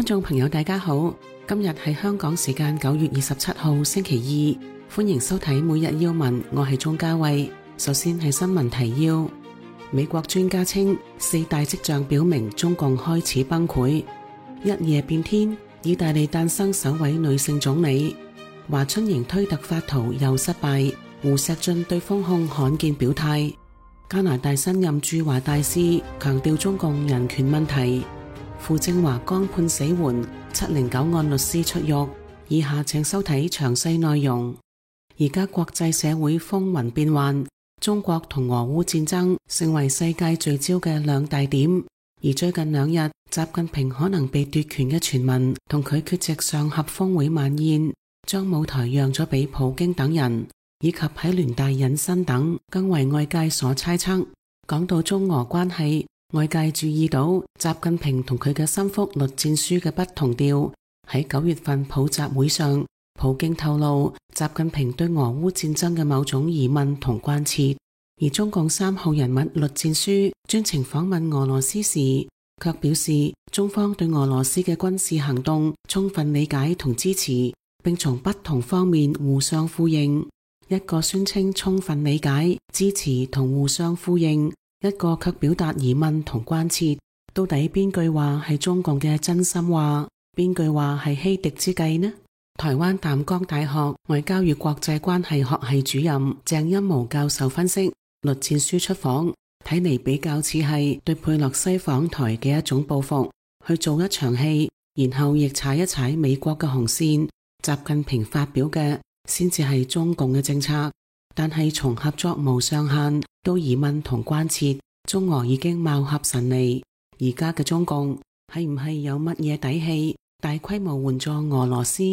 觀眾朋友大家好，今日係香港時間9月27號星期二，歡迎收睇每日要聞，我係鍾嘉慧。首先係新聞提要，美國專家稱4大跡象表明中共開始崩潰。一夜變天，意大利誕生首位女性總理。華春瑩推特發圖又失敗，胡錫進對封控罕見表態。加拿大新任駐華大使強調中共人權問題。傅政華剛判死緩，709案律師出獄。以下請收睇詳細內容。而家國際社會風雲變幻，中國同俄烏戰爭成為世界聚焦嘅兩大點。而最近2日，習近平可能被奪權嘅傳聞同佢缺席上合峰會晚宴，將舞台讓咗俾普京等人，以及喺聯大隱身等，更為外界所猜測。講到中俄關係，外界注意到習近平同佢嘅心腹栗戰書嘅不同調。喺9月份普習會上，普京透露習近平對俄烏戰爭嘅某種疑問同關切，而中共3號人物栗戰書專程訪問俄羅斯時，卻表示中方對俄羅斯嘅軍事行動充分理解同支持，並從不同方面互相呼應。一個宣稱充分理解、支持同互相呼應，一個卻表達疑問同關切。到底邊句話係中共嘅真心話，邊句話係欺敵之計呢？台灣淡江大學外交與國際關係學系主任鄭欽模教授分析，栗戰書出訪睇嚟比較似係對佩洛西訪台嘅一種報復，去做一場戲，然後亦踩一踩美國嘅紅線。習近平發表嘅先至係中共嘅政策，但係從合作無上限到疑問同關切，中俄已經貌合神離。而家嘅中共係唔係有乜嘢底氣大規模援助俄羅斯？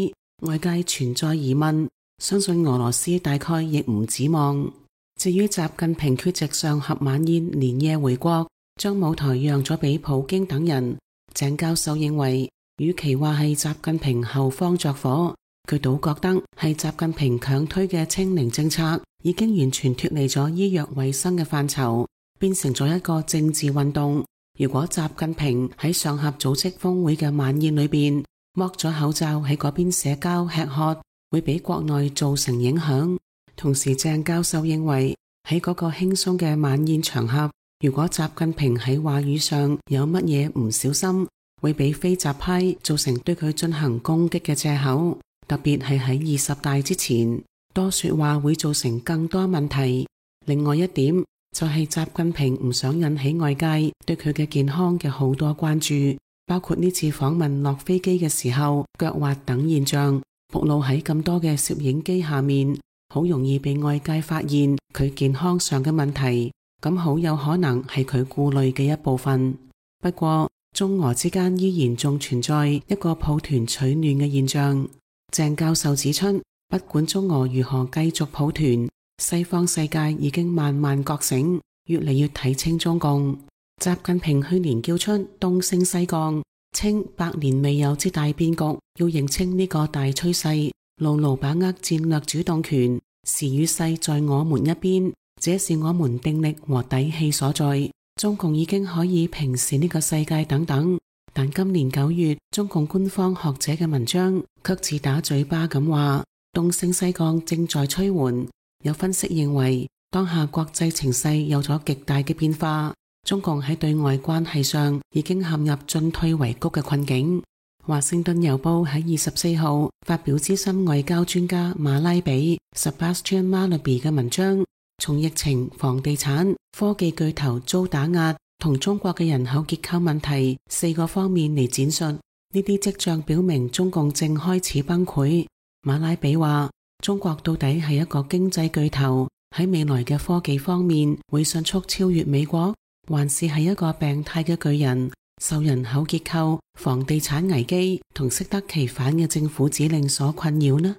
外界存在疑問，相信俄羅斯大概亦唔指望。至於習近平缺席上合晚宴連夜回國，將舞台讓咗俾普京等人，鄭教授認為，與其話係習近平後方着火，佢倒覺得係習近平強推嘅清零政策已經完全脫離咗醫藥衛生嘅範疇，變成咗一個政治運動。如果習近平喺上合組織峰會嘅晚宴裏邊剝咗口罩喺嗰邊社交吃喝，會俾國內造成影響。同時鄭教授認為，喺嗰個輕鬆嘅晚宴場合，如果習近平喺話語上有乜嘢唔小心，會俾非習派造成對佢進行攻擊嘅借口。特別係喺20大之前，多說話會造成更多問題。另外一點就係習近平唔想引起外界對佢嘅健康嘅好多關注，包括呢次訪問落飛機嘅時候腳滑等現象，暴露喺咁多嘅攝影機下面，好容易被外界發現佢健康上嘅問題，咁好有可能係佢顧慮嘅一部分。不過中俄之間依然仲存在一個抱團取暖嘅現象。鄭教授指出，不管中俄如何繼續抱團，西方世界已經慢慢覺醒，越嚟越睇清中共。習近平去年叫出東升西降，稱百年未有之大變局，要認清呢個大趨勢，牢牢把握戰略主動權，時與勢在我們一邊，這是我們定力和底氣所在。中共已經可以平視呢個世界等等。但今年9月，中共官方學者嘅文章卻自打嘴巴咁話，東升西降正在趨緩。有分析認為，當下國際情勢有咗極大嘅變化，中共喺對外關係上已經陷入進退維谷嘅困境。華盛頓郵報喺24號發表資深外交專家馬拉比 Sebastian Mallaby 嘅文章，從疫情、房地產、科技巨頭遭打壓同中國嘅人口結構問題4個方面嚟展述，呢啲跡象表明中共正開始崩潰。馬拉比話，中國到底係一個經濟巨頭，喺未來嘅科技方面會迅速超越美國，還是係一個病態嘅巨人，受人口結構、房地產危機同適得其反嘅政府指令所困擾呢？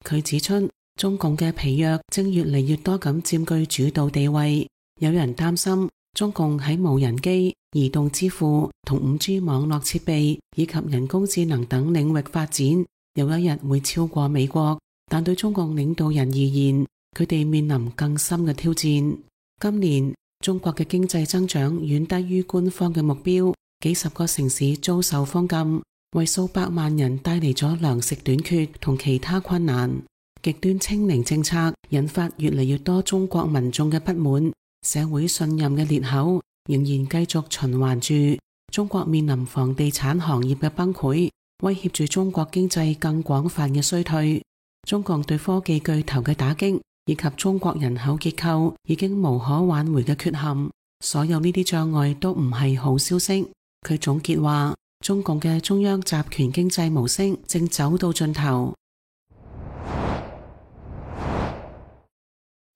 佢指出，中共嘅疲弱正越嚟越多咁佔據主導地位，有人擔心中共喺無人機、移動支付同5G 網絡設備以及人工智能等領域發展，有一日會超過美國。但對中共領導人而言，佢哋面臨更深嘅挑戰。今年中國嘅經濟增長遠低於官方嘅目標，幾十個城市遭受封禁，為數百萬人帶嚟咗糧食短缺同其他困難。極端清零政策引發越嚟越多中國民眾嘅不滿，社會信任嘅裂口仍然繼續循環住。中國面臨房地產行業嘅崩潰，威脅住中國經濟更廣泛嘅衰退。中共對科技巨頭嘅打擊，以及中國人口結構已經無可挽回嘅缺陷，所有呢啲障礙都唔係好消息。佢總結話，中共嘅中央集權經濟模式正走到盡頭。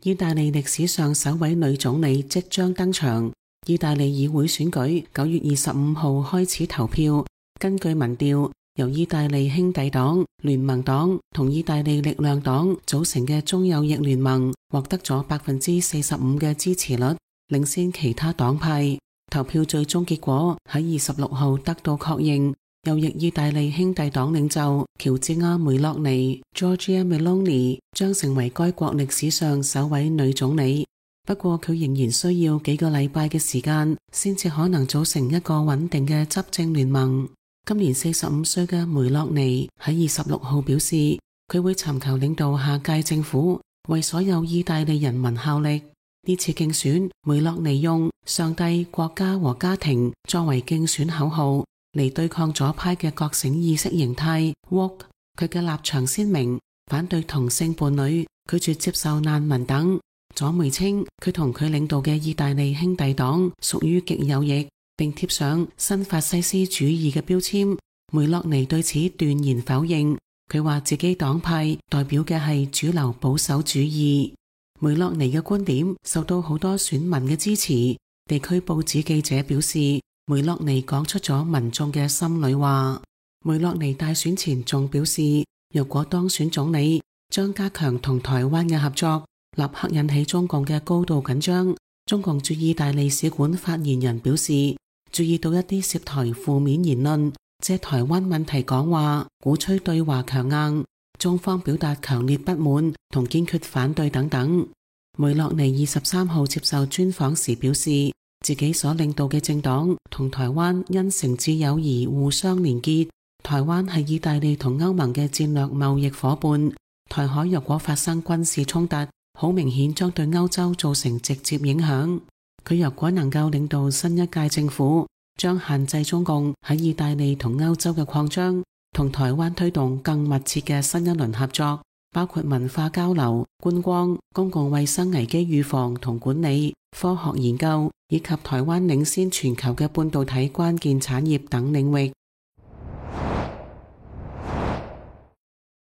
意大利歷史上首位女總理即將登場。意大利議會選舉9月25號開始投票。根據民調，由意大利兄弟黨、聯盟黨同意大利力量黨組成嘅中右翼聯盟獲得咗45%嘅支持率，領先其他黨派。投票最終結果喺26號得到確認，右翼意大利兄弟黨領袖喬治亞梅洛尼 （Giorgia Meloni） 將成為該國歷史上首位女總理。不過佢仍然需要幾個禮拜嘅時間，先至可能組成一個穩定嘅執政聯盟。今年45歲嘅梅洛尼喺26號表示，佢會尋求領導下屆政府，為所有意大利人民效力。呢次競選，梅洛尼用上帝、國家和家庭作為競選口號嚟對抗左派嘅覺醒意識形態 woke。佢嘅立場鮮明，反對同性伴侶，拒絕接受難民等。左媒稱佢同佢領導嘅意大利兄弟黨屬於極右翼，並貼上新法西斯主義嘅標籤。梅洛尼對此斷然否認，佢話自己黨派代表嘅係主流保守主義。梅洛尼嘅觀點受到好多選民嘅支持。地區報紙記者表示，梅洛尼講出咗民眾嘅心裏話。梅洛尼大選前仲表示，若果當選總理，將加強同台灣嘅合作，立刻引起中共嘅高度緊張。中共駐意大利使館發言人表示，注意到一啲涉台負面言論，借台灣問題講話，鼓吹對華強硬，中方表達強烈不滿同堅決反對等等。梅洛尼23號接受專訪時表示，自己所領導嘅政黨同台灣因誠摯友誼互相連結。台灣係意大利同歐盟嘅戰略貿易夥伴，台海若果發生軍事衝突，好明顯將對歐洲造成直接影響。佢若果能夠領導新一屆政府，將限制中共喺意大利同歐洲嘅擴張，同台灣推動更密切嘅新一輪合作，包括文化交流、觀光、公共衛生危機預防同管理、科學研究，以及台灣領先全球嘅半導體關鍵產業等領域。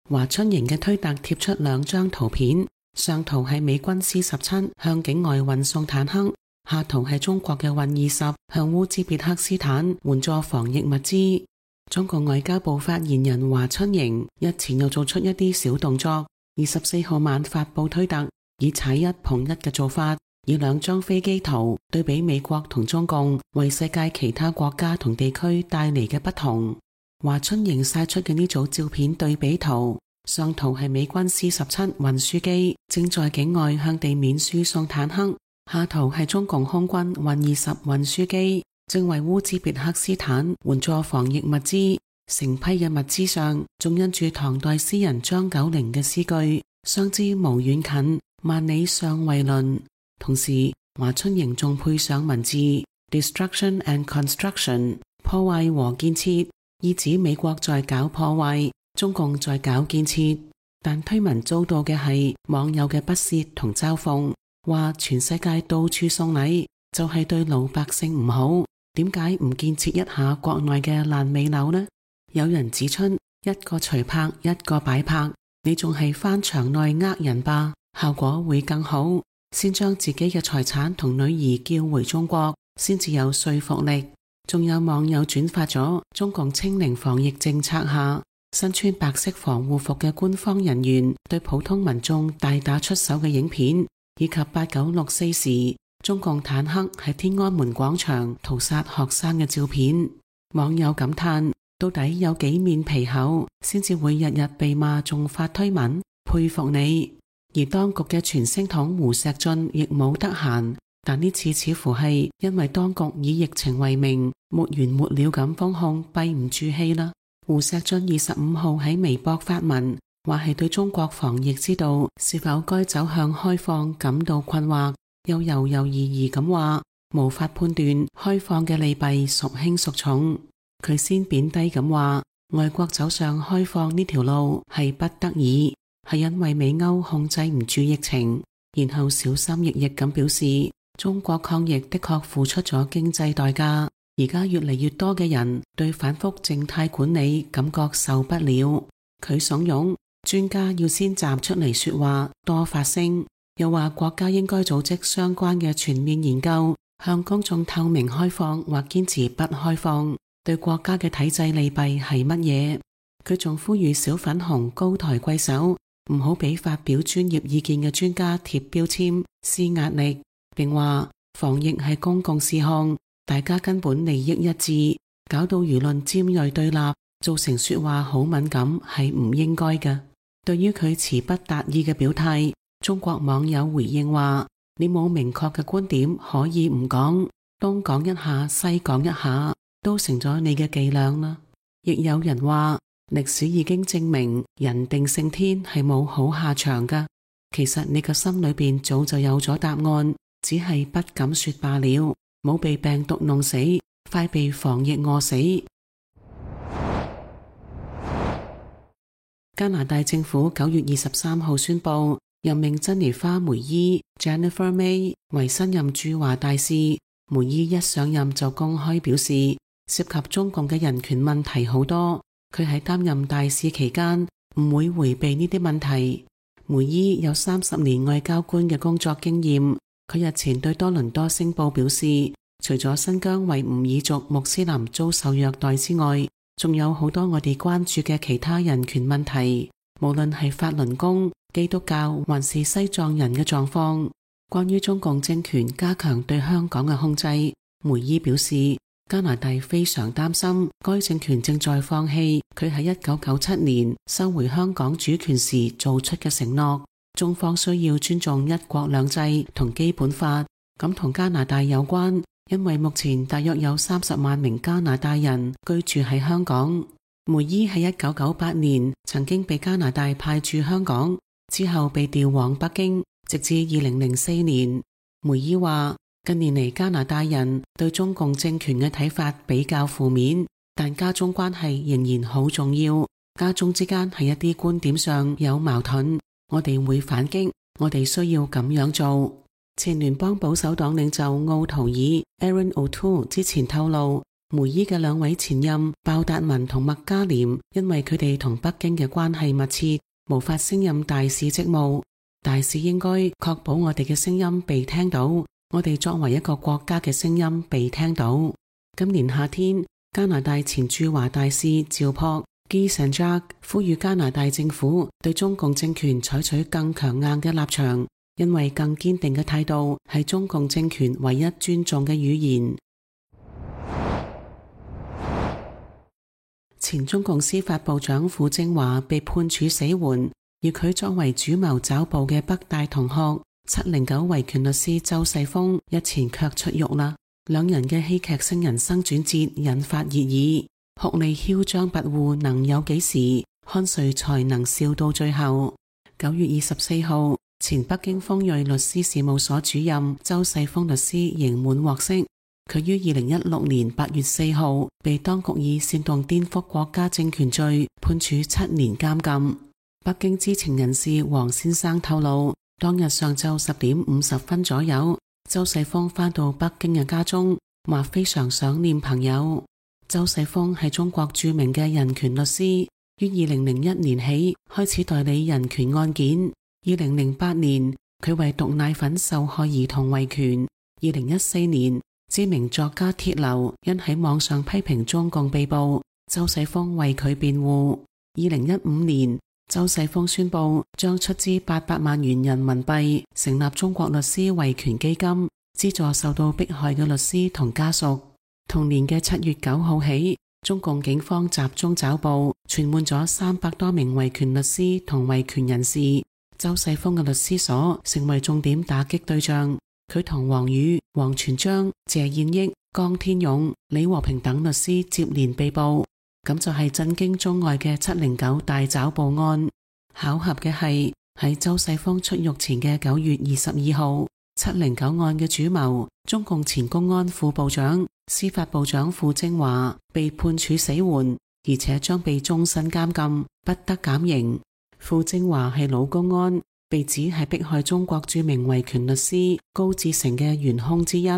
華春瑩嘅推特貼出2張圖片，上圖係美軍 C-17向境外運送坦克，下圖係中國嘅運20向烏茲別克斯坦援助防疫物資。中國外交部發言人華春瑩日前又做出一啲小動作，24號晚發布推特，以踩一捧一嘅做法，以2張飛機圖對比美國同中共為世界其他國家同地區帶嚟嘅不同。華春瑩晒出嘅呢組照片對比圖，上圖係美軍 C-17運輸機正在境外向地面輸送坦克，下圖係中共空軍運20運輸機正為烏茲別克斯坦援助防疫物資。成批嘅物資上仲印住唐代詩人張九齡嘅詩句：相知無遠近，萬里尚為鄰。同時華春瑩仲配上文字 Destruction and Construction 破壞和建設，意指美國在搞破壞，中共在搞建設。但推文遭到嘅係網友嘅不屑同嘲諷，話全世界到處送禮就係對老百姓唔好，點解唔建設一下國內嘅爛尾樓呢？有人指出，一個隨拍一個擺拍，你仲係翻牆內呃人吧，效果會更好。先將自己嘅財產同女兒叫回中國，先至有說服力。仲有網友轉發咗中共清零防疫政策下身穿白色防護服嘅官方人員對普通民眾大打出手嘅影片，以及8964時中共坦克喺天安門廣場屠殺學生嘅照片。網友感嘆，到底有幾面皮厚先至會日日被罵仲發推文，佩服你。而當局嘅傳聲筒胡錫進亦冇得閒，但呢次似乎係因為當局以疫情為名沒完沒了咁封控，閉唔住氣啦。胡錫進25號喺微博發文，話係對中國防疫之道是否該走向開放感到困惑，又猶猶豫豫咁話無法判斷開放嘅利弊孰輕孰重。佢先貶低咁話，外國走上開放呢條路係不得已，係因為美歐控制唔住疫情，然後小心翼翼咁表示，中國抗疫的確付出咗經濟代價，而家越嚟越多嘅人對反覆靜態管理感覺受不了。佢慫恿專家要先站出嚟說話，多發聲，又話國家應該組織相關嘅全面研究，向公眾透明開放或堅持不開放，對國家嘅體制利弊係乜嘢。佢仲呼籲小粉紅高抬貴手，唔好俾發表專業意見嘅專家貼標籤施壓力，並話防疫係公共事項，大家根本利益一致，搞到輿論尖銳對立，造成說話好敏感係唔應該嘅。對於佢詞不達意嘅表態，中國網友回應話，你冇明確嘅觀點可以唔講，東講一下西講一下都成咗你嘅伎倆啦。亦有人話歷史已經證明人定勝天係冇好下場㗎，其實你個心裏邊早就有咗答案，只係不敢說罷了。冇被病毒弄死，快被防疫餓死。加拿大政府9月23號宣布任命珍妮花梅伊 Jennifer May 為新任駐華大使。梅伊一上任就公開表示，涉及中共嘅人權問題好多，佢喺擔任大使期間唔會迴避呢啲問題。梅伊有30年外交官嘅工作經驗，佢日前對多倫多星報表示，除咗新疆維吾爾族穆斯林遭受虐待之外，仲有好多我哋關注嘅其他人權問題，無論係法輪功、基督教還是西藏人嘅狀況。關於中共政權加強對香港嘅控制，梅伊表示，加拿大非常擔心該政權正在放棄佢喺1997年收回香港主權時做出嘅承諾，中方需要尊重一國兩制同基本法。咁同加拿大有關，因為目前大約有30萬名加拿大人居住喺香港。梅伊喺1998年曾經被加拿大派駐香港，之後被調往北京，直至2004年。梅伊話，近年嚟加拿大人對中共政權嘅睇法比較負面，但加中關係仍然好重要。加中之間喺一啲觀點上有矛盾，我哋會反擊，我哋需要咁樣做。前聯邦保守黨領袖奧圖爾 Aaron O'Toole 之前透露，梅伊嘅兩位前任鮑達民同麥嘉廉因為佢哋同北京嘅關係密切，無法升任大使職務。大使應該確保我哋嘅聲音被聽到，我哋作為一個國家嘅聲音被聽到。今年夏天，加拿大前駐華大使趙樸 Guy Saint-Jacques 呼籲加拿大政府對中共政權採取更強硬嘅立場，因為更堅定嘅態度係中共政權唯一尊重嘅語言。前中共司法部長傅政華被判處死緩，而佢作為主謀抓捕嘅北大同學709維權律師周世峰日前卻出獄啦。兩人嘅戲劇性人生轉折引發熱議，酷吏囂張跋扈能有幾時？看誰才能笑到最後？9月24號，前北京鋒銳律師事務所主任周世峰律師刑滿獲釋。佢於2016年8月4號被當局以煽動顛覆國家政權罪判處7年監禁。北京知情人士黃先生透露，當日上晝10點50分左右，周世峰返到北京嘅家中，話非常想念朋友。周世峰係中國著名嘅人權律師，於2001年起開始代理人權案件。2008年，佢為毒奶粉受害兒童維權。2014年，知名作家鐵流因喺網上批評中共被捕，周世峰為佢辯護。2015年，周世峰宣布將出資800萬元人民幣成立中國律師維權基金，資助受到迫害嘅律師同家屬。同年嘅7月9號起，中共警方集中抓捕，傳喚咗300多名維權律師同維權人士。周世峰嘅律師所成為重點打擊對象，佢同王宇、王全璋、謝燕益、江天勇、李和平等律師接連被捕。咁就係震驚中外嘅709大抓捕案。巧合嘅係喺周世峰出獄前嘅9月22號，709案嘅主謀中共前公安副部長、司法部長傅政華被判處死緩，而且將被終身監禁，不得減刑。傅政華係老公安，被指係迫害中國著名維權律師高志成嘅元兇之一，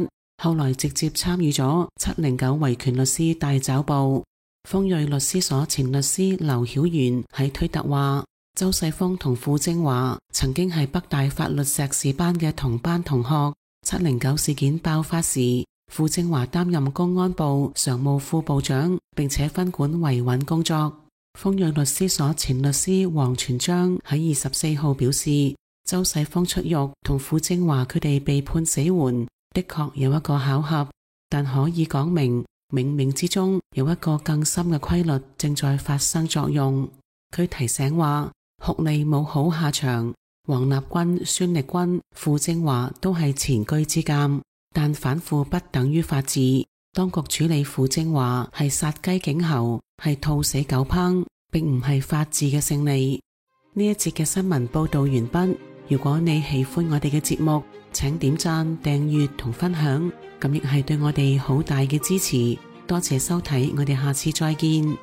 後來直接參與咗709維權律師大抓捕。豐瑞律師所前律師劉曉元喺推特話，周世峰同傅政華曾經係北大法律碩士班嘅同班同學。709事件爆發時，傅政華擔任公安部常務副部長，並且分管維穩工作。豐瑞律師所前律師黃全章喺24號表示，周世峰出獄同傅政華佢哋被判死緩，的確有一個巧合，但可以講明冥冥之中有一個更深嘅規律正在發生作用。佢提醒話，酷吏冇好下場，王立軍、孫力軍、傅政華都係前車之鑑，但反腐不等於法治。當局處理傅政華係殺雞儆猴，係兔死狗烹，並唔係法治嘅勝利。呢一節嘅新聞報道完畢。如果你喜歡我哋嘅節目，請點讚、訂閱同分享，咁亦係對我哋好大嘅支持。多謝收睇，我哋下次再見。